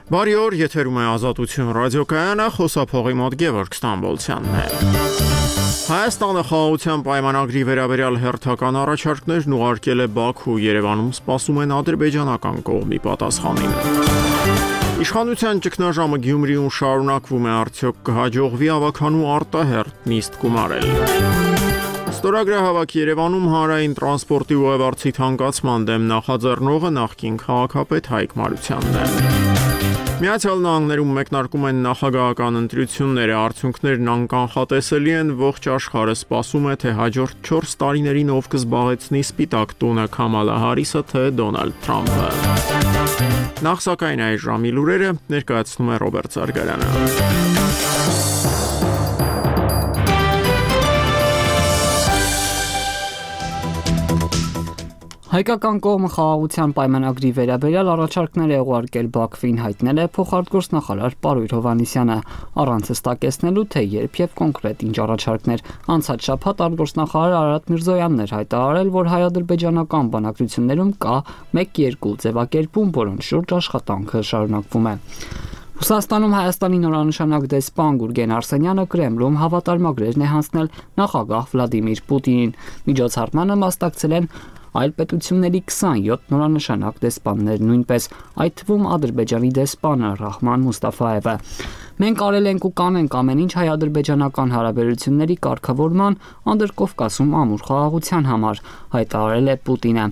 Բարի օր, եթերում է Ազատություն ռադիոկայանը, խոսափողի մոտ Գևորգ Ստամբոլցյանն է։ Հայաստանը խաղաղության պայմանագրի վերաբերյալ հերթական առաջարկներն ուղարկել է Բաքու, Երևանում սպասում են ադրբեջանական կողմի պատասխանին։ Իշխանության ճգնաժամը Գյումրիում շարունակվում է, արդյոք կհաջողվի ավականու արտահերթ նիստ գումարել։ Ստորագրահավաք Երևանում հանրային տրանսպորտի ուղևորցի թանկացման դեմ նախաձեռնողը նախկին քաղաքապետ Հայկ Մարությանն է։ Միացյալ Նահանգներում մեկնարկում են նախագահական ընտրությունները, արդյունքներն անկանխատեսելի են, ողջ աշխարհը սպասում է, թե հաջորդ 4 տարիներին ով կզբաղեցնի Սպիտակ տունը՝ Քամալա Հարիսը, թե Դոնալդ Թրամփը։ Նախ սակայն այս ժամի լուրերը ներկայացնում է Ռոբերտ Զարգարյանը։ Հայկական կողմը խաղաղության պայմանագրի վերաբերյալ առաջարկներ է ուղարկել Բաքվին, հայտնել է փոխարտգործնախարար Պարույր Հովհաննիսյանը, առանց հստակեցնելու, թե երբ եւ կոնկրետ ինչ առաջարկներ։ Անցած շաբաթ արտգործնախարար Արարատ Միրզոյանն էր հայտարարել, որ հայ-ադրբեջանական բանակցություններում կա 1-2 ձևակերպում, որոնց շուրջ աշխատանքը շարունակվում է։ Ռուսաստանում Հայաստանի նորանշանակ դեսպան Գուրգեն Արսենյանը Կրեմլում հավատարմագրեր է հանձնել նախագահ Վլադիմիր Պուտինին։ Միջոցառմանը մասնակցել են այլ պետությունների 27 նորանշանակ դեսպաններ, նույնպես այդ թվում Ադրբեջանի դեսպանը Ռահման Մուստաֆայևը։ Մենք արել ենք ու կանենք ամեն ինչ հայ-ադրբեջանական հարաբերությունների կարգավորման, Անդրկովկասում ամուր խաղաղության համար, հայտարարել է Պուտինը։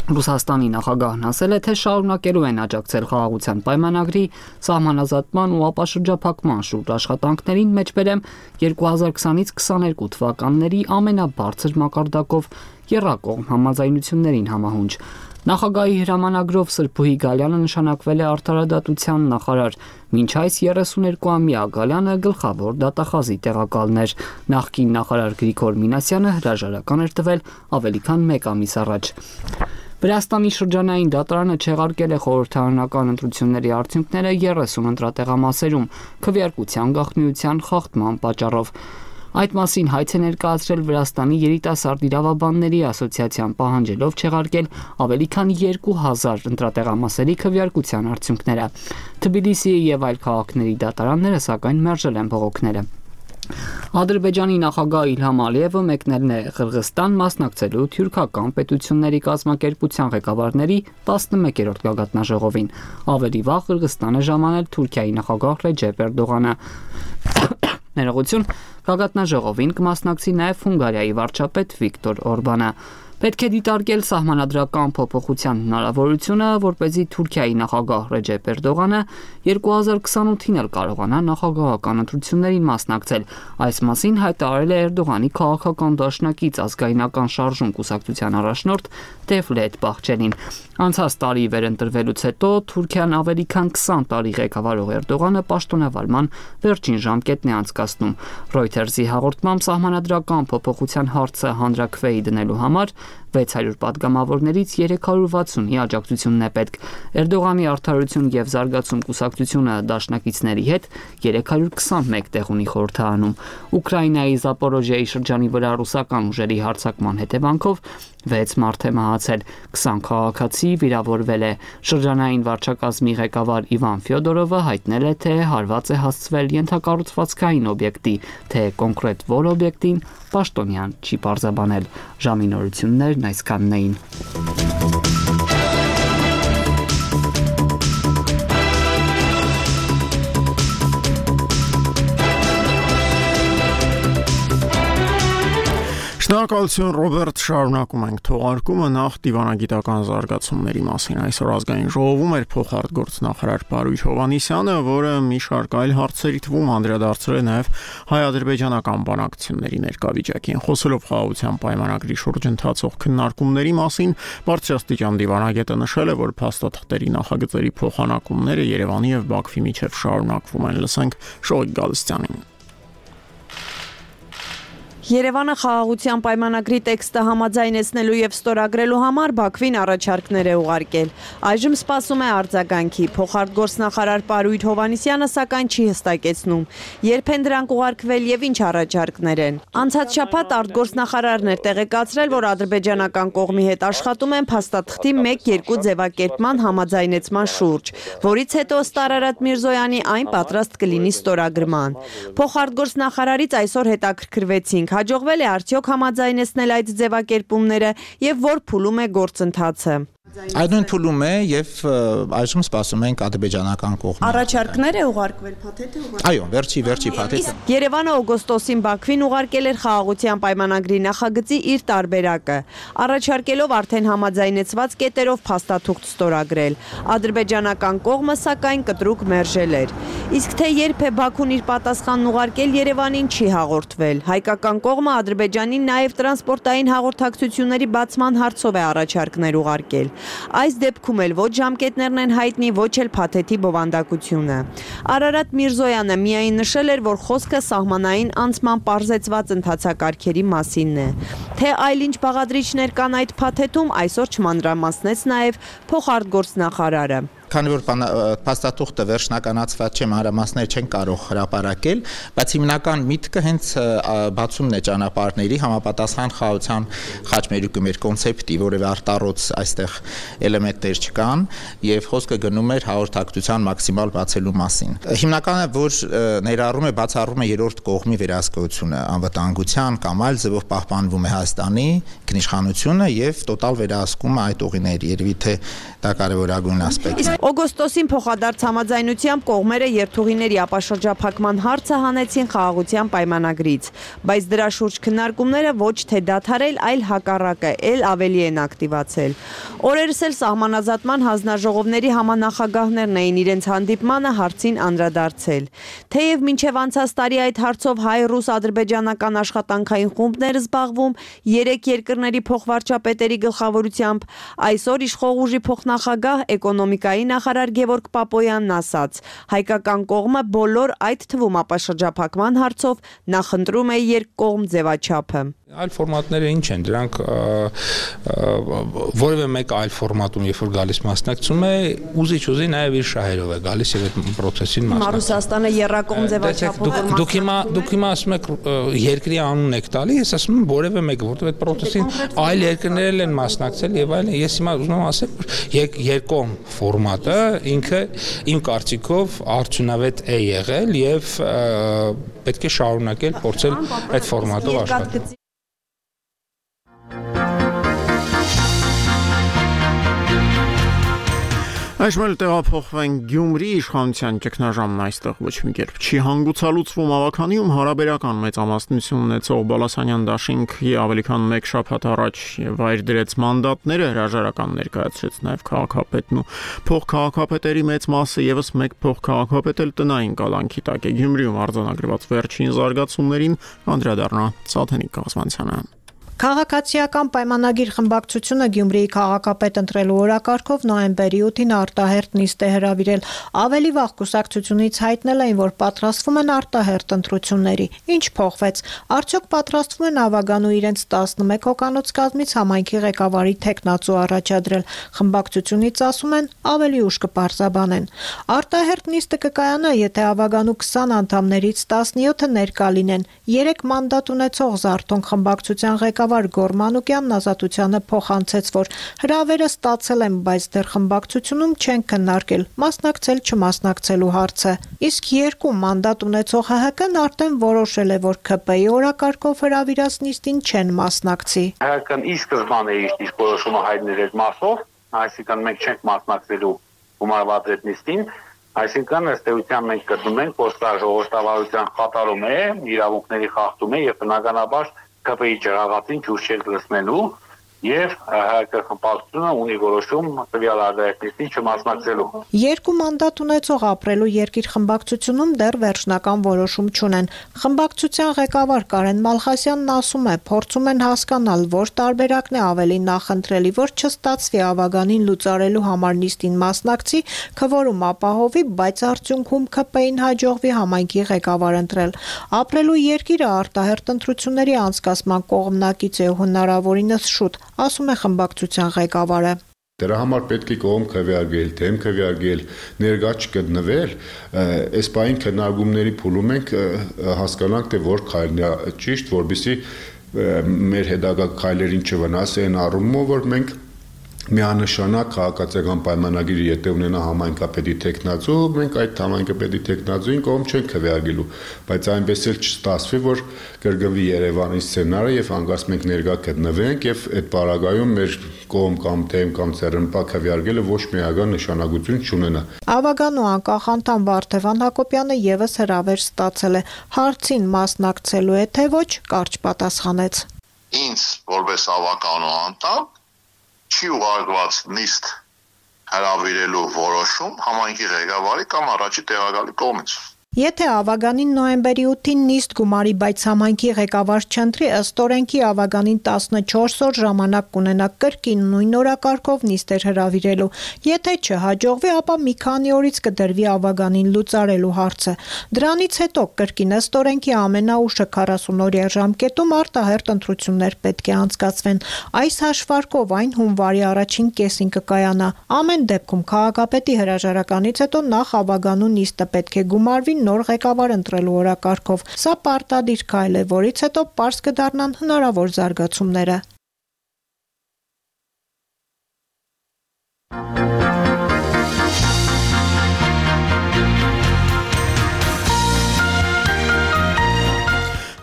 Ռուսաստանի նախագահն ասել է, թե շարունակելու են աջակցել խաղաղության պայմանագրի սահմանազատման ու ապաշրջափակման շուրջ աշխատանքներին, մեջբերեմ 2020-ից 22 թվականների ամենաբարձր մակարդակով եռակողմ համաձայնություններին համահունչ։ Նախագահի հրամանագրով Սրբուհի Գալյանը նշանակվել է արդարադատության նախարար, մինչ այս 32-ամյա Գալյանը գլխավոր դատախազի տեղակալն էր։ Նախկին նախարար Գրիգոր Մինասյանը հրաժարական էր տվել ավելի քան 1 ամիս առաջ։ Վրաստանի շրջանային դատարանը չեղարկել է խորհրդարանական ընտրությունների արդյունքները 30 ընտրատեղամասերում քվեարկության գաղտնիության խախտման պատճառով։ Այդ մասին հայց է ներկայացրել Վրաստանի երիտասարդ իրավաբանների ասոցիացիան, պահանջելով չեղարկել ավելի քան 2000 ընտրատեղամասերի քվեարկության արդյունքները։ Թբիլիսիի եւ այլ քաղաքների դատարանները սակայն մերժել են բողոքները։ Ադրբեջանի նախագահ Իլհամ Ալիևը մեկնել է Ղրղստան մասնակցելու թյուրքական պետությունների կազմակերպության ղեկավարների 11-րդ գագաթնաժողովին։ Ավելի վաղ Ղրղստան է ժամանել Թուրքիայի նախագահ Ռեջեփ Էրդողանը։ Ներողություն, գագաթնաժողովին կմասնակցի նաև Հունգարիայի վարչապետ Վիկտոր Օրբանը։ Պետք է դիտարկել սահմանադրական փոփոխության հնարավորությունը, որպեսզի Թուրքիայի նախագահ Ռեջեփ Էրդողանը 2028-ին էլ կարողանա նախագահական ընտրություններին մասնակցել։ Այս մասին հայտարարել է Էրդողանի քաղաքական դաշնակից ազգայնական շարժում կուսակցության առաջնորդ Դևլետ Բախչելին։ Անցած տարի վերընտրվելուց հետո Թուրքիան ավելի քան 20 տարի ղեկավարող Էրդողանը պաշտոնավարման վերջին ժամկետն է անցկացնում։ Reuters-ի հաղորդմամբ սահմանադրական փոփոխության հարցը հանրաքվեի դնելու համար 600 պատգամավորներից 360-ի աջակցությունն է պետք։ Էրդողանի արդարություն եւ զարգացում կուսակցությունը դաշնակիցների հետ 321 տեղ ունի խորհրդարանում։ Ուկրաինայի Զապորոժիայի շրջանի վրա ռուսական ուժերի հարձակման հետևանքով 6 մարդ է մահացել, 20 քաղաքացի վիրավորվել է։ Շրջանային վարչակազմի ղեկավար Իվան Ֆյոդորովը հայտնել է, թե հարված է հասցվել ենթակառուցվածքային օբյեկտի, թե կոնկրետ որ օբյեկտին պաշտոնյան չի պարզաբանել։ Ժամի նորություններն այսքանն էին։ Շնորհակալություն Ռոբերտ, շարունակում ենք թողարկումը նախ դիվանագիտական զարգացումների մասին։ Այսօր ազգային ժողովում էր փոխարտգործնախարար Պարույր Հովհաննիսյանը, որը մի շարք այլ հարցերի թվում անդրադարձել է նաև հայ-ադրբեջանական բանակցությունների ներկա վիճակին։ Խոսելով խաղաղության պայմանագրի շուրջ ընթացող քննարկումների մասին, բարձրաստիճան դիվանագետը նշել է, որ փաստաթղթերի նախագծերի փոխանակումները Երևանի եւ Բաքվի միջև շարունակվում են։ Լսենք Շոյիկ Գալստյանին։ Երևանը խաղաղության պայմանագրի տեքստը համաձայնեցնելու եւ ստորագրելու համար Բաքվին առաջարկներ է ուղարկել։ Այժմ սպասում է արձագանքի։ Փոխարտգործնախարար Պարույր Հովհաննիսյանը սակայն չի հստակեցնում, երբ են դրանք ուղարկվել եւ ինչ առաջարկներ են։ Անցած շաբաթ արտգործնախարարն էր տեղեկացրել, որ ադրբեջանական կողմի հետ աշխատում են փաստաթղթի 1-2 ձևակերպման համաձայնեցման շուրջ, որից հետո ըստ Արարատ Միրզոյանի այն պատրաստ կլինի ստորագրման։ Փոխարտգործնախարարից այսօր հետաքրքրվեցինք, հաջողվել է արդյոք համաձայնեցնել այդ ձևակերպումները եւ որ փուլում է գործընթացը։ Այդ նույն փուլում է եւ այժմ սպասում ենք ադրբեջանական կողմը։ Առաջարկներ է ուղարկվել, փաթեթ է ուղարկվել։ Այո, վերջի փաթեթը։ Երևանը օգոստոսին Բաքվին ուղարկել էր խաղաղության պայմանագրի նախագծի իր տարբերակը, առաջարկելով արդեն համաձայնեցված կետերով փաստաթուղթ ստորագրել։ Ադրբեջանական կողմը սակայն կտրուկ մերժել էր։ Իսկ թե երբ է Բաքուն իր պատասխանն ուղարկել Երևանին չի հաղորդվել։ Հայկական կողմը Ադրբեջանին նաև տրանսպորտային հաղորդակցությունների բացման հարցով է առաջարկներ ուղարկել։ Այս դեպքում էլ ոչ ժամկետներն են հայտնի, ոչ էլ փաթեթի բովանդակությունը։ Արարատ Միրզոյանը միայն նշել էր, որ խոսքը սահմանային անցման պարզեցված ընթացակարգերի մասինն է։ Թե այլ ինչ բաղադրիչներ կան այդ փաթեթում, այսօր չմանրամասնեց նաև փոխարտգործնախարարը։ Քանի որ փաստաթուղթը վերջնականացված չէ, մանրամասներ չեն կարող հրապարակել, բայց հիմնական միտքը հենց բացումն է ճանապարհների համապատասխան խաղաղության խաչմերուկի մեր կոնցեպտի, որևէ արտառոց այստեղ էլեմենտներ չկան եւ խոսքը գնում էր հաղորդակցության մաքսիմալ բացելու մասին։ Հիմնականը որ ներառում է բացառում է երրորդ կողմի վերահսկողությունը, անվտանգության կամ այլ ձևով պահպանվում է Հայաստանի ինքնիշխանությունը եւ տոտալ վերահսկումը այդ ուղիների, երևի թե դա կարևորագույն ասպեկտ է։ Օգոստոսին փոխադարձ համաձայնությամբ կողմերը երթուղիների ապաշրջափակման հարցը հանեցին խաղաղության պայմանագրից, բայց դրա շուրջ քննարկումները ոչ թե դադարել, այլ հակառակը, ել ավելի են ակտիվացել։ Օրերս էլ սահմանազատման հանձնաժողովների համանախագահներն էին իրենց հանդիպմանը հարցին անդրադարձել։ Թեև մինչև անցած տարի այդ հարցով հայ-ռուս-ադրբեջանական աշխատանքային խումբներ զբաղվում 3 երկրների փոխվարչապետերի գլխավորությամբ, այսօր իշխող ուժի փոխնախագահ էկոնոմիկայի նախարար Գևորգ Պապոյանն ասաց. հայկական կողմը բոլոր այդ թվում ապաշրջափակման հարցով նախընտրում է երկկողմ ձևաչափը։ Այլ ֆորմատները ինչ են, դրանք որևէ մեկ այլ ֆորմատում, երբ որ գալիս մասնակցում է, ուզի նաև իր շահերով է գալիս եւ այդ process-ին մասնակցում։ Ռուսաստանը երրակողմ ձևաչափով։ Դուք հիմա ասում եք երկրի անունն եք տալի, ես ասում եմ որևէ մեկը, որովհետեւ այդ process-ին այլ երկրներ են մասնակցել եւ այլն։ Ես հիմա ուզում եմ ասել, որ երկկողմ ֆորմատը ինքը իմ կարծիքով արդյունավետ է եղել եւ պետք է շարունակել փորձել այդ ֆորմատով աշխատել։ Այժմ տեղափոխվենք Գյումրի իշխանության ճգնաժամն այստեղ ոչ մի կերպ չի հանգուցալուծվում ավականիում հարաբերական մեծամասնություն ունեցող Բալասանյան դաշինքի ավելի քան 1 շաբաթ առաջ վայր դրեց մանդատները հրաժարական ներկայացրեց նաև քաղաքապետն ու փոխքաղաքապետերի մեծ մասը եւս մեկ փոխքաղաքապետ էլ տնային կալանքի տակ է Գյումրիում արձանագրված վերջին զարգացումներին անդրադառնա Սաթենիկ Կազմանցյանը։ Քաղաքացիական պայմանագիր խմբակցությունը Գյումրիի քաղաքապետ ընտրելու օրակարգով նոյեմբերի 8-ին արտահերթ նիստ է հրավիրել։ Ավելի վաղ կուսակցությունից հայտնել էին, որ պատրաստվում են արտահերթ ընտրությունների։ Ինչ փոխվեց։ Արդյոք պատրաստվում են Ավագանու իրենց 11 հոգանոց կազմից համայնքի ղեկավարի թեկնածու առաջադրել։ Խմբակցությունից ասում են ավելի ուշ կպարզաբանեն։ Արտահերթ նիստը կկայանա, եթե Ավագանու 20 անդամներից 17-ը ներկա լինեն։ 3 մանդատ ունեցող Զարթոնք խմբակցության ղեկավար Գոր Մանուկյանն Ազատությանը փոխանցեց, որ հրավերը ստացել են, բայց դեռ խմբակցությունում չեն քննարկել մասնակցել չմասնակցելու հարցը։ Իսկ 2 մանդատ ունեցող ՀՀԿ-ն արդեն որոշել է, որ ՔՊ-ի օրակարգով հրավիրած նիստին չեն մասնակցի։ ՀՀԿ-ն ի սկզբանե իր որոշումը հայտնել էր մասով, այսինքն մենք չենք մասնակցելու գումարված այդ նիստին, այսինքն ըստ էության մենք կրում ենք, որ սա ժողովրդավարության խաթարում է, իրավունքների խախտում է եւ բնականաբար ԿՊ-ի ջրաղացին ջուր չեք լցնելու եւ հայկական ունի որոշում տվյալ արտահայտությունին չմասնակցելու։ Երկու մանդատ ունեցող ապրելու երկիր խմբակցությունում դեռ վերջնական որոշում չունեն։ Խմբակցության ղեկավար Կարեն Մալխասյանն ասում է, փորձում են հասկանալ, որ տարբերակն է ավելի նախընտրելի, որ չստացվի ավագանին լուծարելու համար նիստին մասնակցի, քվորում ապահովի, բայց արդյունքում ՔՊ-ին հաջողվի համայնքի ղեկավար ընտրել։ Ապրելու երկիրը արտահերթ ընտրությունների անցկացման կողմնակից է հնարավորինս շուտ, ասում է խմբակցության ղեկավարը։ Դրա համար պետք է կողմ քվեարկել, դեմ քվեարկել, ներկա չգտնվել, այս բային քննարկումների փուլում ենք հասկանանք, թե որ քայլն է ճիշտ, որովհետեւ մեր հետագա քայլերին չվնասեն առումով, որ մենք միանշանակ քաղաքացիական պայմանագիրը եթե ունենա համայնքապետի տեխնացու, մենք այդ համայնքապետի տեխնացուին կողմ չենք քվեարկելու, բայց այնպես էլ չստացվի, որ կրկնվի Երևանի սցենարը եւ հանկարծ մենք ներկա գտնվենք եւ այդ պարագայում մեր կողմ կամ դեմ կամ ցերնպա քվեարկելը ոչ միական նշանակություն չունենա։ Ավագանու անկախ անդամ Վարդևան Հակոբյանը եւս հրավեր ստացել է, հարցին մասնակցելու է թե ոչ, կարճ պատասխանեց։ Ինձ որպես ավագանու անդամ չի ուղարկված նիստ հրավիրելու որոշում համայնքի ղեկավարի կամ առաջի տեղակալի կողմից։ Եթե ավագանին նոյեմբերի 8-ին նիստ գումարի, բայց համայնքի ղեկավար չընտրի, ըստ օրենքի ավագանին 14 օր ժամանակ կունենա կրկին նույն օրակարգով նիստեր հրավիրելու։ Եթե չհաջողվի, ապա մի քանի օրից կդրվի ավագանին լուծարելու հարցը։ Դրանից հետո կրկին ըստ օրենքի ամենաուշը 40-օրյա ժամկետում արտահերթ ընտրություններ պետք է անցկացվեն։ Այս հաշվարկով այն հունվարի առաջին կեսին կկայանա։ Ամեն դեպքում քաղաքապետի հրաժարականից հետո նախ ավագանու նիստը պետք է գումարվի նոր ղեկավար ընտրելու օրակարգով։ Սա պարտադիր քայլ է, որից հետո պարզ կդառնան հնարավոր զարգացումները։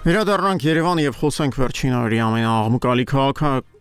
Վերադառնանք Երևան եւ խոսենք վերջին օրերի ամենաաղմկալի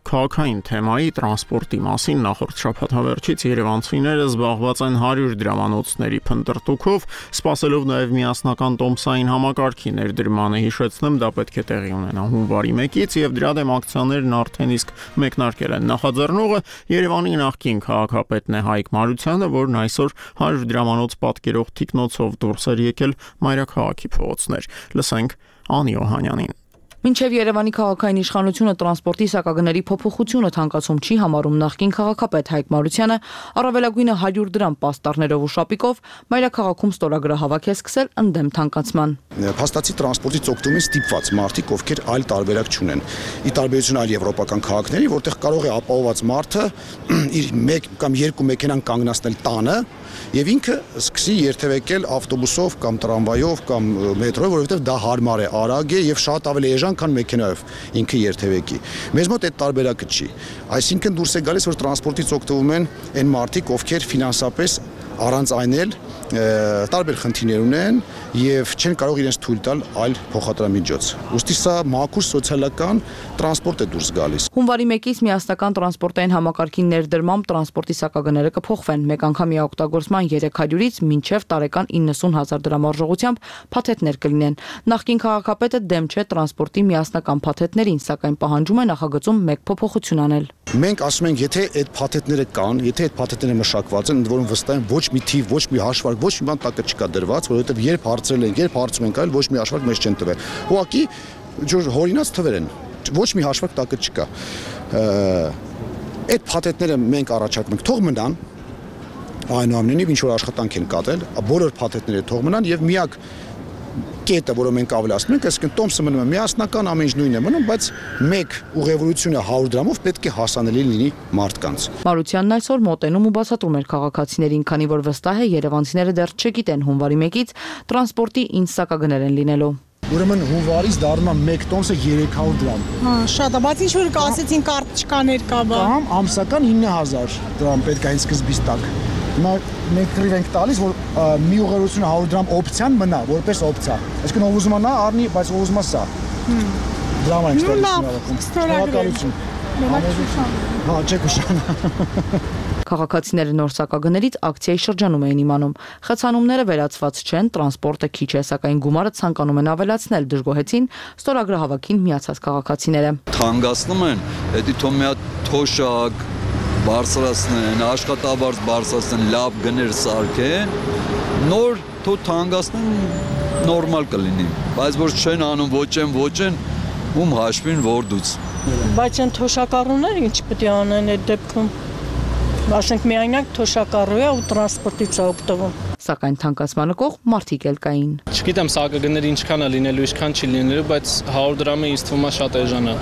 քաղաքային թեմայի տրանսպորտի մասին։ Նախորդ շաբաթավերջից երևանցիները զբաղված են 100 դրամանոցների փնտրտուքով, սպասելով նաեւ միասնական տոմսային համակարգի ներդրմանը։ Հիշեցնեմ, դա պետք է տեղի ունենա հունվարի 1-ից եւ դրա դեմ ակցիաներն արդեն իսկ մեկնարկել են։ Նախաձեռնողը Երևանի նախկին քաղաքապետն է Հայկ Մարությանը, որն այսօր 100 դրամանոց պատկերող թիկնոցով դուրս էր եկել մայրաքաղաքի փողոցներ։ Լսենք Անի Օհանյանին։ Մինչև Երևանի քաղաքային իշխանությունը տրանսպորտի սակագների փոփոխությունը թանկացում չի համարում, նախկին քաղաքապետ Հայկ Մարությանը առավելագույնը 100 դրամ պաստառներով ու շապիկով մայրաքաղաքում ստորագրահավաք է սկսել ընդդեմ թանկացման։ Փաստացի տրանսպորտից օգտվում են ստիպված մարդիկ, ովքեր այլ տարբերակ չունեն։ Ի տարբերություն այլ եվրոպական քաղաքների, որտեղ կարող է ապահովված մարդը իր 1 կամ 2 մեքենան կանգնացնել տանը եւ ինքը սկսի երթևեկել ավտոբուսով կամ տրամվայով կամ մետրոյով, որովհետեւ դա հարմար է, արագ է եւ շատ ավելի էժան, քան մեքենայով ինքը երթևեկի։ Մեզ մոտ այդ տարբերակը չի։ Այսինքն դուրս է գալիս, որ տրանսպորտից օգտվում են այն մարդիկ, ովքեր ֆինանսապես առանց այն էլ տարբեր խնդիրներ ունեն եւ չեն կարող իրենց թույլ տալ այլ փոխադրամիջոց։ Ոստի սա մաքուր սոցիալական տրանսպորտ է դուրս գալիս։ Հունվարի 1-ից միասնական տրանսպորտային համակարգի ներդրմամբ տրանսպորտի սակագները կփոխվեն։ Մեկ անգամյա օգտագործման 300-ից մինչև տարեկան 90,000 դրամ արժողությամբ փաթեթներ կլինեն։ Նախկին քաղաքապետը դեմ չէ տրանսպորտի միասնական փաթեթներին, սակայն պահանջում է նախագծում մեկ փոփոխություն անել։ Մենք ասում ենք, եթե այդ փաթեթները կան, եթե այդ փաթեթները մշակված են, ընդ որում վստահ եմ, ոչ մի թիվ, ոչ մի հաշվարկ, ոչ մի բան տակը չկա դրված, որովհետև երբ հարցրել են, երբ հարցում ենք, այլ ոչ մի հաշվարկ մեզ չեն տվել։ Ուղղակի հորինած թվեր են, ոչ մի հաշվարկ տակը չկա։ Այդ փաթեթները մենք առաջարկում ենք, թող մնան, այնուամենայնիվ ինչ որ աշխատանք են կատարել, բոլոր փաթեթները թող մնան եւ միակ կետը, որը մենք ավելացնում ենք, այսինքն տոմսը մնում է միասնական, ամեն ինչ նույնն է մնում, բայց մեկ ուղևորությունը 100 դրամով պետք է հասանելի լինի մարդկանց։ Մարությանն այսօր մոտենում ու բացատրում էր քաղաքացիներին, քանի որ վստահ է երևանցիները դեռ չգիտեն հունվարի 1-ից տրանսպորտի ինչ սակագներ են լինելու։ Ուրեմն հունվարից դառնում է մեկ տոմսը 300 դրամ։ Հա, շատ է, բայց ինչ որ կասեցին կարտչկաներ կա բա։ Կամ ամսական 9000 դրամ պետք է այն սկզբից տակ։ Հիմա մենք քրիվ ենք տալիս, որ մի ուղղությունը 100 դրամ օպցիան մնա, որպես օպցիա։ Այսինքն ով ուզում է նա առնի, բայց ով ուզում է սա։ Դրամ ենք ստորագրում։ Շնորհակալություն։ Մենակ Շուշան։ Հա, չէ Շուշան։ Քաղաքացիները նոր սակագներից ակցիայի շրջանում էին իմանում։ Խցանումները վերացված չեն, տրանսպորտը քիչ է, սակայն գումարը ցանկանում են ավելացնել, դժգոհեցին ստորագրահավաքին միացած քաղաքացիները։ Թանկացնում են, դա թող մի հատ թոշակ բարձրացնեն, աշխատավարձ բարձրացնեն, լավ գներ սարքեն, նոր թող թանկացնեն, նորմալ կլինի, բայց որ չեն անում ոչ են, ում հաշվին որ դուց։ Բայց այն թոշակառուները ինչ պետք է անեն այդ դեպքում։ Ասենք միայնակ թոշակառու է ու տրանսպորտից է օգտվում։ Սակայն թանկացմանը կողմ մարդիկ էլ կային։ Չգիտեմ սակագները ինչքան է լինելու, ինչքան չի լինելու, բայց 100 դրամը ինձ թվում է շատ էժան է։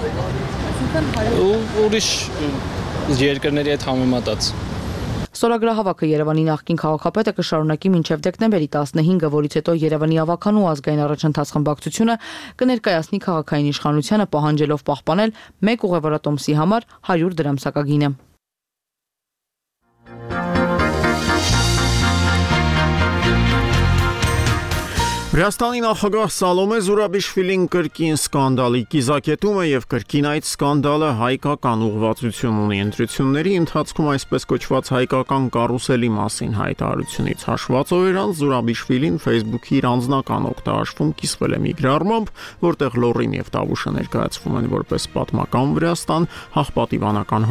Ու ուրիշ երկրների հետ համեմատած։ Ստորագրահավաքը Երևանի նախկին քաղաքապետը կշարունակի մինչև դեկտեմբերի 15-ը, որից հետո Երևանի ավականու ազգային առաջընթաց խմբակցությունը կներկայացնի քաղաքային իշխանությանը պահանջելով պահպանել մեկ ուղևորատոմսի համար 100 դրամ սակագինը։ Վրաստանի նախագահ Սալոմե Զուրաբիշվիլին կրկին սկանդալի կիզակետում է եւ կրկին այդ սկանդալը հայկական ուղղվածություն ունի ընտրությունների ընթացքում այսպես կոչված հայկական կարուսելի մասին հայտարարությունից հաշվածով էր Զուրաբիշվիլին Facebook-ի իր անձնական օգտահաշվում կիսվել է մի գրառմամբ, որտեղ Լոռին եւ Տավուշը ներկայացվում են որպես պատմական Վրաստան, հաղպատիվանական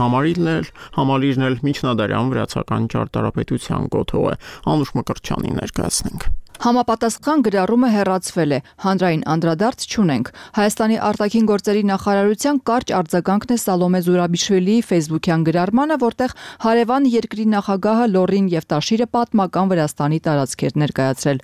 համալիրն էլ միջնադարյան վրացական ճարտարապետության կոթող է։ Անուշ Մկրտչյանին ներկայացնենք։ Համապատասխան գրառումը հեռացվել է, հանրային անդրադարձ չունենք։ Հայաստանի արտաքին գործերի նախարարության կարճ արձագանքն է Սալոմե Զուրաբիշվիլիի Facebook-յան գրառմանը, որտեղ հարևան երկրի նախագահը Լոռին եւ Տաշիրը պատմական Վրաստանի տարածքեր ներկայացրել։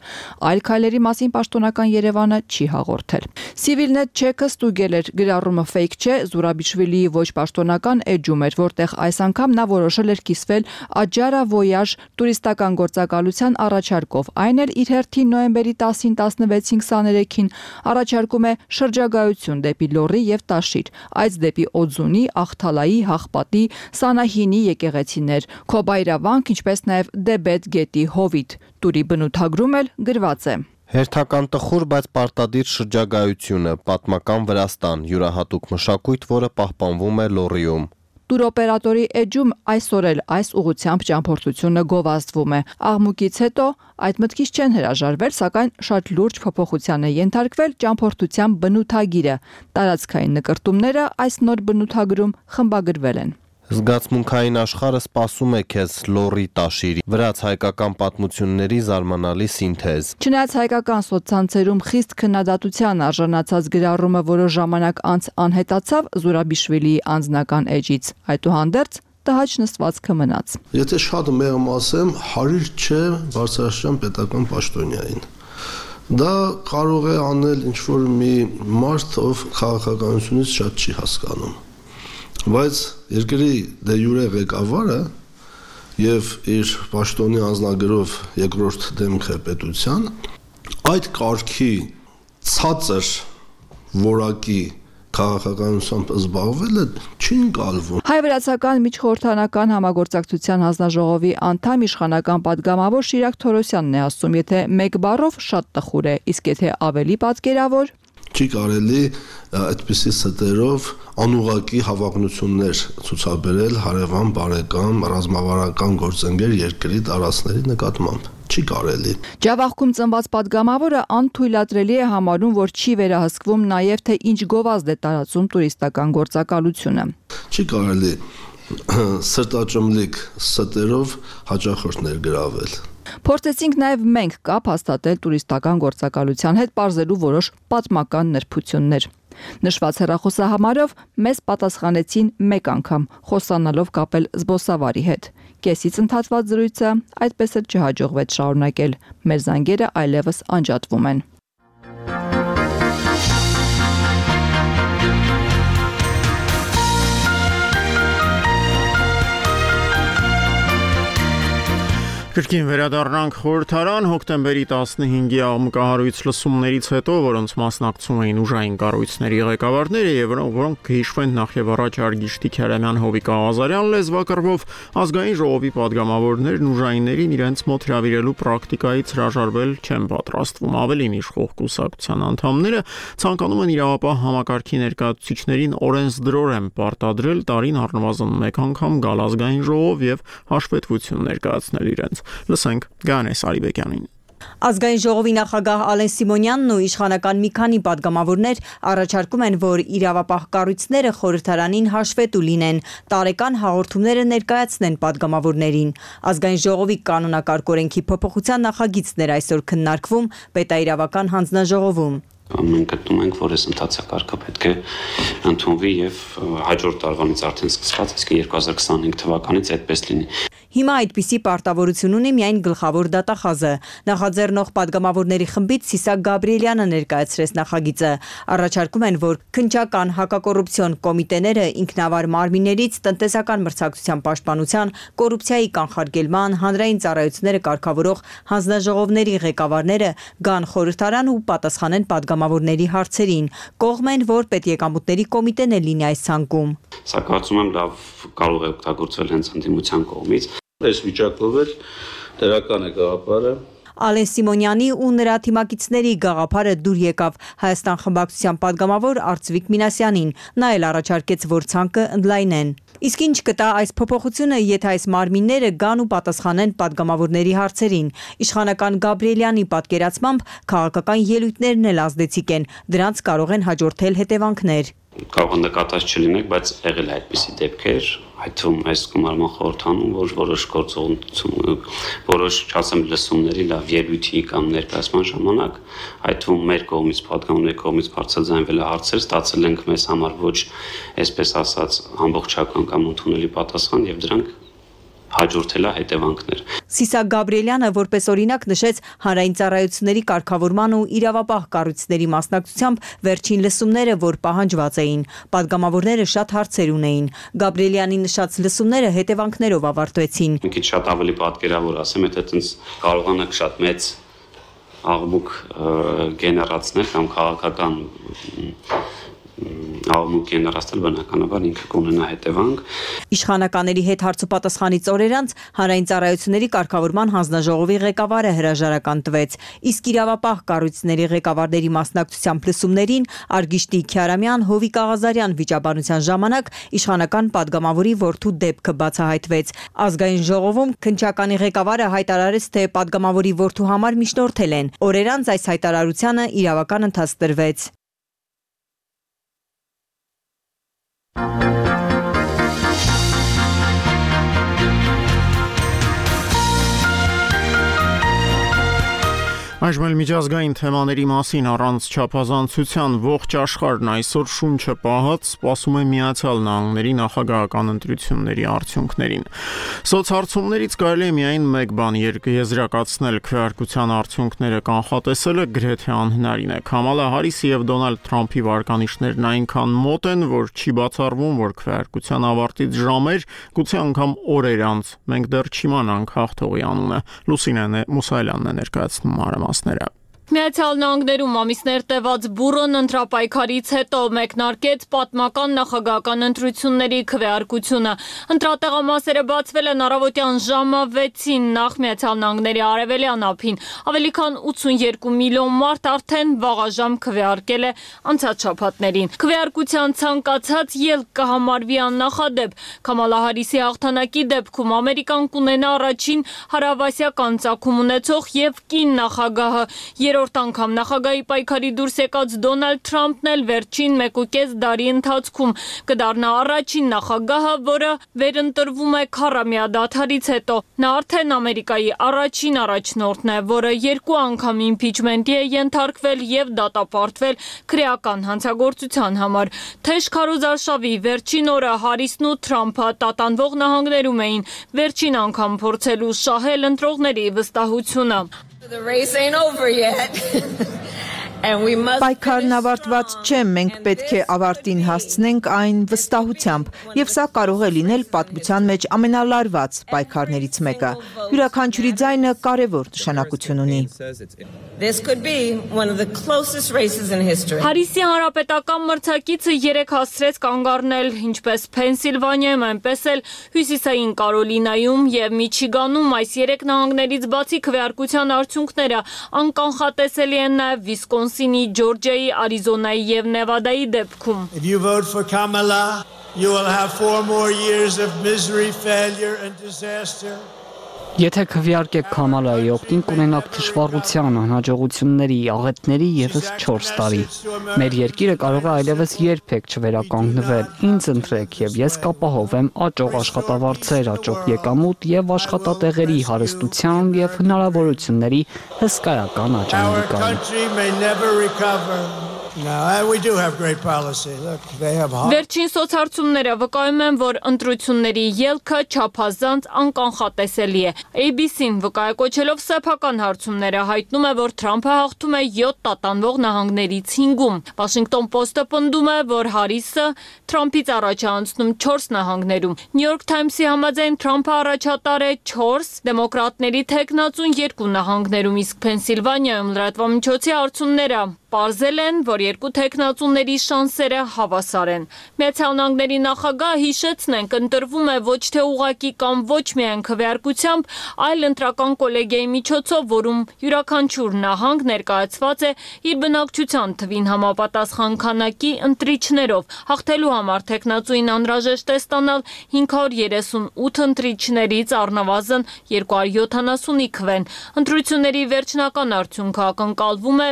Այլ քայլերի մասին պաշտոնական Երևանը չի հաղորդել։ Civilnet Check-ը ստուգել էր գրառումը fake չէ, Զուրաբիշվիլիի ոչ պաշտոնական էջում էր, որտեղ այս անգամ նա որոշել էր կիսվել Աջարա Voyage տուրիստական գործակալության առաջարկով։ Այն էլ իր նոյեմբերի 10-ին 16-ին 23-ին առաջարկում է շրջագայություն դեպի Լոռի եւ Տաշիր, այց դեպի Օձունի, Ախթալայի, Հաղպատի, Սանահինի եկեղեցիներ, Քոբայրավանք, ինչպես նաեւ Դեբետ գետի հովիտ։ Տուրի բնութագրում էլ գրված է. Հերթական տխուր, բայց պարտադիր շրջագայությունը, պատմական Վրաստան, յուրահատուկ մշակույթ, որը պահպանվում է Լոռիում։ Տուրօպերատորի էջում այսօր էլ այս ուղղությամբ ճամփորդությունը գովազդվում է։ Աղմուկից հետո այդ մտքից չեն հրաժարվել, սակայն շատ լուրջ փոփոխության է ենթարկվել ճամփորդության բնութագիրը։ Տարածքային նկրտումները այս նոր բնութագրում խմբագրվել են։ Զգացմունքային աշխարհը սպասում է քեզ Լոռի Տաշիրի վրաց-հայկական պատմությունների զարմանալի սինթեզ։ Չնայած հայկական սոցցանցերում խիստ քննադատության արժանացած գրառումը որոշ ժամանակ անց անհետացավ Զուրաբիշվիլիի անձնական էջից, այդուհանդերձ տհաճ նստվածքը մնաց։ Եթե շատ մեղմ ասեմ, հարիր չէ բարձրաստիճան պետական պաշտոնյային։ Դա կարող է անել ինչ-որ մի մարդ, ով քաղաքականությունից շատ չի հասկանում։ Բայց երկրի դե յուրե ղեկավարը եւ իր պաշտոնի անձնագրով երկրորդ դեմքը պետության այդ կարգի ցածր որակի քաղաքականությամբ զբաղվելը չի ընկալվում։ Հայ-վրացական միջխորհրդանական համագործակցության հանձնաժողովի անդամ իշխանական պատգամավոր Շիրակ Թորոսյանն է ասում, եթե մեկ բառով շատ տխուր է, իսկ եթե ավելի պատկերավոր չի կարելի այդպիսի ստերով անուղակի հավակնություններ ցուցաբերել հարևան բարեկամ ռազմավարական գործընկեր երկրի տարածքների նկատմամբ։ Չի կարելի։ Ջավախքում ծնված պատգամավորը անթույլատրելի է համարում, որ չի վերահսկվում նաև թե ինչ գովազդ է տարածում տուրիստական գործակալությունը։ Չի կարելի սրտաճմլիկ ստերով հաճախորդ ներգրավել։ Փորձեցինք նաև մենք կապ հաստատել տուրիստական գործակալության հետ, բարձելու որոշ պատմական նրբություններ։ Նշված հեռախոսահամարով մեզ պատասխանեցին մեկ անգամ, խոսանալով կապել զբոսավարի հետ։ Կեսից ընդհատված զրույցը այդպես էլ չհաջողվեց շարունակել։ Մեր զանգերը այլևս անջատվում են։ Կրկին վերադառնանք խորհրդարան հոկտեմբերի 15-ի աղմկահարույց լսումներից հետո, որոնց մասնակցում էին ուժային կառույցների ղեկավարները եւ որոնք կհիշվեն նախ եւ առաջ Արգիշտի Քյարամյան Հովիկ Աղազարյան լեզվակռվով ազգային ժողովի падգամավորներն ուժայիններին իրենց մոտ հրավիրելու պրակտիկայից հրաժարվել չեն պատրաստվում։ Ավելին իշխող կուսակցության անդամները ցանկանում են իրավապահ համակարգի ներկայացուցիչներին օրենսդրորեն պարտադրել տարին առնվազն մեկ անգամ գալ ազգային ժողով եւ հաշվետվություն ներկայացնել իրենց։ Լսենք Գանես Արիբեկյանին։ Ազգային ժողովի նախագահ Ալեն Սիմոնյանն ու իշխանական մի քանի падգամավորներ առաջարկում են, որ իրավապահ կառույցները խորհրդարանին հաշվետու լինեն, տարեկան հաղորդումները ներկայացնեն падգամավորներին։ Ազգային ժողովի կանոնակարգ օրենքի փոփոխության նախագիծն էր այսօր քննարկվում պետաիրավական հանձնաժողովում։ Մենք գտնում ենք, որ այս ընթացակարգը պետք է ընդունվի եւ հաջորդ տարվանից արդեն սկսված, իսկ 2025 թվականից այդպես լինի։ Հիմա այդպիսի պարտավորություն ունի միայն գլխավոր դատախազը։ Նախաձեռնող падգամավորների խմբից Սիսակ Գաբրիելյանը ներկայացրեց նախագիծը։ Առաջարկում են, որ քննչական հակակոռուպցիոն կոմիտեները ինքնավար մարմիններից տնտեսական մրցակցության պաշտպանության, կոռուպցիայի կանխարգելման, հանրային ծառայությունները կարգավորող հանձնաժողովների ղեկավարները գան խորհրդարան ու պատասխանեն падգամավորների հարցերին։ Կողմ են, որ պետեկամուտների կոմիտեն է լինի այս ցանկում։ Սա կարծում եմ լավ կարող է օգտագործվել հենց ընդդիմության կողմից։ Այս վիճակով էլ դրական է գաղափարը։ Ալեն Սիմոնյանի ու նրա թիմակիցների գաղափարը դուր եկավ Հայաստան խմբակցության падգամավոր Արծվիկ Մինասյանին։ Նա էլ առաջարկեց, որ ցանկը ընդլայնեն։ Իսկ ինչ կտա այս փոփոխությունը, եթե այս մարմինները գան ու պատասխանեն падգամավորների հարցերին։ Իշխանական Գաբրիելյանի պատկերացմամբ քաղաքական ելույթներն էլ ազդեցիկ են, դրանց կարող են հաջորդել հետևանքներ։ Կարող է նկատած չլինեք, բայց եղել է այդպիսի դեպքեր, այդ թվում այս գումարման խորհրդանում, որ որոշ չասեմ լսումների լավ ելույթի կամ ներկայացման ժամանակ, այդ թվում մեր կողմից падգամավորների կողմից բարձրաձայնվել է հարցեր, ստացել ենք մեզ համար ոչ այսպես ասած ամբողջական կամ ընդունելի պատասխան եւ դրանք հաջորդել է հետևանքներ։ Սիսակ Գաբրիելյանը որպես օրինակ նշեց հանրային ծառայությունների կարգավորման ու իրավապահ կառույցների մասնակցությամբ վերջին լսումները, որ պահանջված էին։ Падգամավորները շատ հարցեր ունեին։ Գաբրիելյանի նշած լսումները հետևանքներով ավարտվեցին։ Մի քիչ շատ ավելի պատկերավոր ասեմ, եթե այդպես կարողանաք շատ մեծ աղմուկ գեներացնել կամ քաղաքական աղմուկ գեներացնել, բնականաբար ինքը կունենա հետևանք։ Իշխանականների հետ հարցոպատասխանից օրեր անց հանրային ծառայությունների կարգավորման հանձնաժողովի ղեկավարը հրաժարական տվեց, իսկ իրավապահ կառույցների ղեկավարների մասնակցությամբ լսումներին Արգիշտի Քյարամյան Հովիկ Աղազարյան վիճաբանության ժամանակ իշխանական падգամավորի որդու դեպքը բացահայտվեց։ Ազգային ժողովում քննչականի ղեկավարը հայտարարեց, թե падգամավորի որդու համար միջնորդել են։ Օրեր անց այս հայտարարությանը իրավական ընթաց տրվեց։ Այժմ միջազգային թեմաների մասին առանց չափազանցության ողջ աշխարհն այսօր շունչը պահած սպասում է Միացյալ Նահանգների նախագահական ընտրությունների արդյունքներին։ Սոցհարցումներից կարելի է միայն մեկ բան եզրակացնել՝ քվեարկության արդյունքները կանխատեսելը գրեթե անհնարին է։ Քամալա Հարիսի եւ Դոնալդ Թրամփի վարկանիշներն այնքան մոտ են, որ չի բացառվում, որ քվեարկության ավարտից ժամեր, գուցե անգամ օրեր անց մենք դեռ չիմանանք հաղթողի անունը։ Լուսինե Մուսայելյանն է ներկայացնում մանրամասները։ Միացյալ Նահանգներում ամիսներ տևած բուռն ընտրապայքարից հետո մեկնարկեց պատմական նախագահական ընտրությունների քվեարկությունը։ Ընտրատեղամասերը բացվել են առավոտյան ժամը 6-ին նախ Միացյալ Նահանգների արևելյան ափին։ Ավելի քան 82 միլիոն մարդ արդեն վաղաժամ քվեարկել է անցած շաբաթներին։ Քվեարկության ցանկացած ելք կհամարվի աննախադեպ։ Քամալա Հարիսի հաղթանակի դեպքում Ամերիկան կունենա առաջին հարավասիական ծագում ունեցող եւ կին նախագահը։ Երրորդ անգամ նախագահի պայքարի դուրս եկած Դոնալդ Թրամփն էլ վերջին 1.5 տարի ընթացքում կդառնա առաջին նախագահը, որը վերընտրվում է քառամյա դադարից հետո։ Նա արդեն Ամերիկայի առաջին առաջնորդն է, որը 2 անգամ իմպիչմենտի է ենթարկվել եւ դատապարտվել քրեական հանցագործության համար։ Թեժ քարոզարշավի վերջին օրը Հարիսն ու Թրամփը տատանվող նահանգներում էին վերջին անգամ փորձելու շահել ընտրողների վստահությունը։ The race ain't over yet. Պայքարն ավարտված չէ, մենք պետք է ավարտին հասցնենք այն վստահությամբ, եւ սա կարող է լինել պատմության մեջ ամենալարված պայքարներից մեկը։ Յուրաքանչյուրի ձայնը կարևոր նշանակություն ունի։ Հարիսի հանրապետական մրցակիցը 3 հասցրեց կանգ առնել ինչպես Փենսիլվանիայում, այնպես էլ Հյուսիսային Կարոլինայում եւ Միչիգանում այս 3 նահանգներից բացի քվեարկության արդյունքները անկանխատեսելի են նաեւ Վիսկոնսինի, Ջորջիայի, Արիզոնայի եւ Նևադայի դեպքում։ If you vote for Kamala, you will have 4 more years of misery, failure and disaster. Եթե քվեարկեք Քամալայի օգտին, կունենաք թշվառության, անհաջողությունների, աղետների եւս 4 տարի։ Մեր երկիրը կարող է այլևս երբեք չվերականգնվել։ Ինձ ընտրեք եւ ես կապահովեմ աճող աշխատավարձեր, աճող եկամուտ եւ աշխատատեղերի հարստության եւ հնարավորությունների հսկայական աճանալիքային։ Վերջին սոցհարցումները վկայում են, որ ընտրությունների ելքը չափազանց անկանխատեսելի է։ ABC-ն վկայակոչելով սեփական հարցումները հայտնում է, որ Թրամփը հաղթում է 7 տատանվող նահանգներից 5-ում։ Washington Post-ը պնդում է, որ Հարիսը Թրամփից առաջ է անցնում 4 նահանգներում։ New York Times-ի համաձայն Թրամփը առաջատար է 4, դեմոկրատների թեկնածուն 2 նահանգներում, իսկ Փենսիլվանիայում լրատվամիջոցի հարցումները պարզել են, որ 2 թեկնածուների շանսերը հավասար են։ Միացյալ Նահանգների նախագահը հիշեցնենք, ընտրվում է ոչ թե ուղղակի կամ ոչ միայն քվեարկությամբ, այլ ընտրական կոլեգիայի միջոցով, որում յուրաքանչյուր նահանգ ներկայացված է իր բնակչության թվին համապատասխան քանակի ընտրիչներով։ Հաղթելու համար թեկնածուին անհրաժեշտ է ստանալ 538 ընտրիչներից առնվազն 270-ի քվեն։ Ընտրությունների վերջնական արդյունքը ակնկալվում է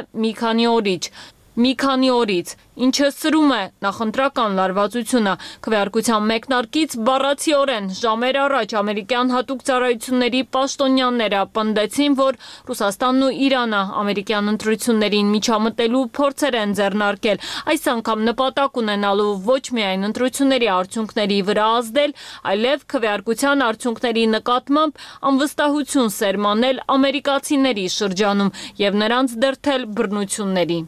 մի քանի օրից, ինչը սրում է նախընտրական լարվածությունը։ Քվեարկության մեկնարկից բառացիորեն ժամեր առաջ ամերիկյան հատուկ ծառայությունների պաշտոնյաները պնդեցին, որ Ռուսաստանն ու Իրանը ամերիկյան ընտրություններին միջամտելու փորձեր են ձեռնարկել, այս անգամ նպատակ ունենալու ոչ միայն ընտրությունների արդյունքների վրա ազդել, այլև քվեարկության արդյունքների նկատմամբ անվստահություն սերմանել ամերիկացիների շրջանում եւ նրանց դրդել բռնությունների։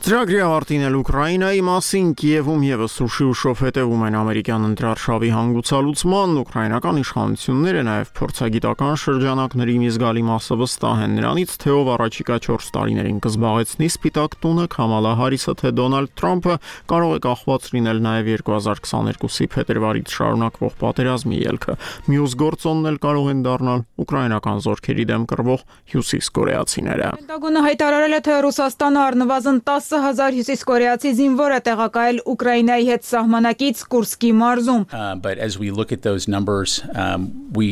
Ծրագրի ավարտին էլ Ուկրաինայի մասին Կիևում եւս ուշի ուշով հետևում են ամերիկյան ընտրարշավի հանգուցալուծման, ուկրաինական իշխանությունները նաեւ փորձագիտական շրջանակների մի զգալի մասը վստահ են նրանից, թե ով առաջիկա 4 տարիներին կզբաղեցնի Սպիտակ տունը, Քամալա Հարիսը թե Դոնալդ Թրամփը, կարող է կախված լինել նաեւ 2022-ի փետրվարից շարունակվող պատերազմի ելքը։ Մյուս գործոնն էլ կարող են դառնալ ուկրաինական զորքերի դեմ կռվող հյուսիսկորեացիները։ Պենտագոնը հայտարարել է, թե Ռուսաստանը առնվազն 10,000 հյուսիսկորեացի զինվոր է տեղակայել Ուկրաինայի հետ սահմանակից Կուրսկի մարզում։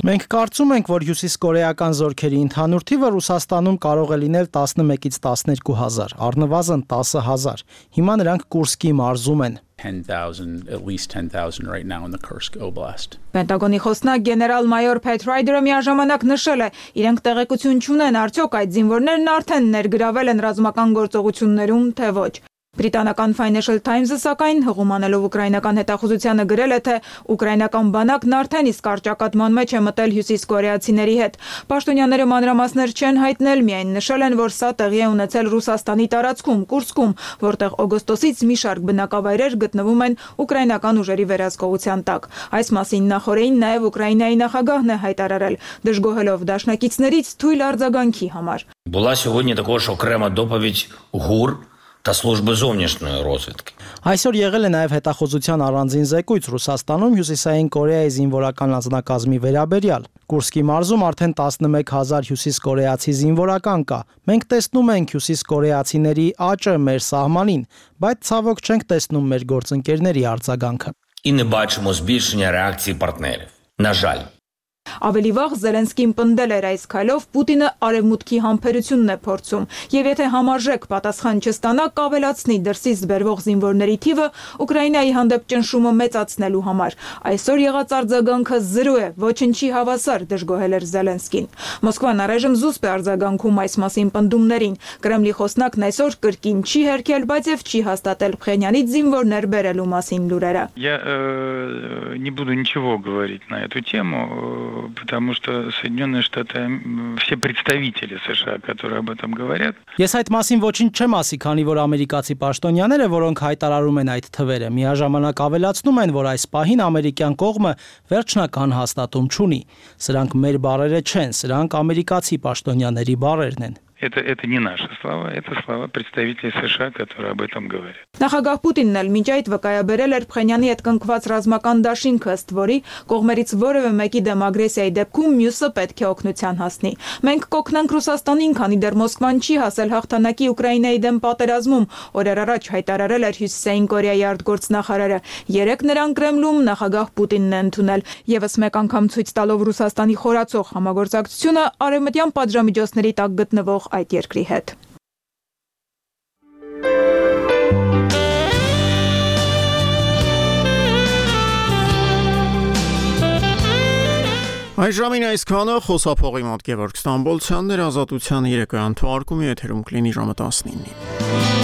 Մենք կարծում ենք, որ հյուսիսկորեական զորքերի ընդհանուր թիվը Ռուսաստանում կարող է լինել 11-ից 12,000, առնվազն 10,000։ Հիմա նրանք Կուրսկի մարզում են։ 10,000, at least 10,000 right now in the Kursk Oblast. Պենտագոնի խոսնակ գեներալ-մայոր Փեթ Ռայդերը միաժամանակ նշել է, իրենք տեղեկություն չունեն արդյոք այդ զինվորներն արդեն ներգրավել են ռազմական գործողություններում, թե ոչ։ Բրիտանական Financial Times-ը սակայն հղումանելով ուկրաինական հետախուզությանը գրել է, թե ուկրաինական բանակն արդեն իսկ առճակատման մեջ է մտել հյուսիսկորեացիների հետ։ Պաշտոնյաները մանրամասներ չեն հայտնել, միայն նշել են, որ սա տեղի է ունեցել Ռուսաստանի տարածքում, Կուրսկում, որտեղ օգոստոսից մի շարք բնակավայրեր գտնվում են ուկրաինական ուժերի վերահսկողության տակ։ Այս մասին նախորդին նաև Ուկրաինայի նախագահն է հայտարարել, դժգոհելով դաշնակիցներից թույլ արձագանքի համար։ Була сьогодні також окрема доповідь ГУР та служби зовнішньої розвідки. Այսօր եղել է նաև հետախուզության առանձին զեկույց Ռուսաստանում Հյուսիսային Կորեայի զինվորական անձնակազմի վերաբերյալ։ Կուրսկի մարզում արդեն 11,000 հյուսիսկորեացի զինվորական կա։ Մենք տեսնում ենք հյուսիսկորեացիների աճը մեր սահմանին, բայց ցավոք չենք տեսնում մեր գործընկերների արձագանքը։ І не бачимо збільшення реакції партнерів. На жаль. Ավելի վաղ Զելենսկին պնդել էր այս քայլով Պուտինը արևմուտքի համբերությունն է փորձում, եւ եթե համարժեք պատասխան չստանա, կավելացնի դրսից բերվող զինվորների թիվը Ուկրաինայի հանդեպ ճնշումը մեծացնելու համար։ Այսօր եղած արձագանքը 0 է, ոչնչի հավասար, դժգոհել էր Զելենսկին։ Մոսկվան առայժմ զուսպ է արձագանքում այս մասին պնդումներին։ Կրեմլի խոսնակն այսօր կրկին չի հերքել, բայց եւ չի հաստատել Փխենյանից զինվորներ բերելու մասին լուրերը։ Я не буду ничего говорить на эту тему. потому что Соединенные Штаты, все представители США, которые об этом говорят. Ես այդ մասին ոչինչ չեմ ասի, քանի որ ամերիկացի պաշտոնյաները, որոնք հայտարարում են այդ թվերը, միաժամանակ ավելացնում են, որ այս պահին ամերիկյան կողմը վերջնական հաստատում չունի։ Սրանք մեր բառերը չեն, սրանք ամերիկացի պաշտոնյաների բառերն են։ Это не наши слова, это слова представителей США, которые об этом говорят. Նախագահ Պուտինն էլ մինչ այդ վկայաբերել էր Փխենյանի հետ կնքված ռազմական դաշինքը, ըստ որի կողմերից որևէ մեկի դեմ ագրեսիայի դեպքում մյուսը պետք է օգնության հասնի։ Մենք կօգնենք Ռուսաստանին, քանի դեռ Մոսկվան չի հասել հաղթանակի Ուկրաինայի դեմ պատերազմում, օրեր առաջ հայտարարել էր Հյուսիսային Կորեայի արտգործնախարարը։ Երեկ նրան Կրեմլում նախագահ Պուտինն է ընդունել։ Եվս մեկ անգամ ցույց տալով Ռուսաստանի խորացող համագործակցությունը արևմտյան պատժամիջոցների տակ գտնվող այդ երկրի հետ։ Այժմին այսքանը խոսափողի մոտ Գևորգ Ստամբոլցյանն էր Ազատության երեկոյան թողարկումի եթերում կլինի ժամը 19-ին։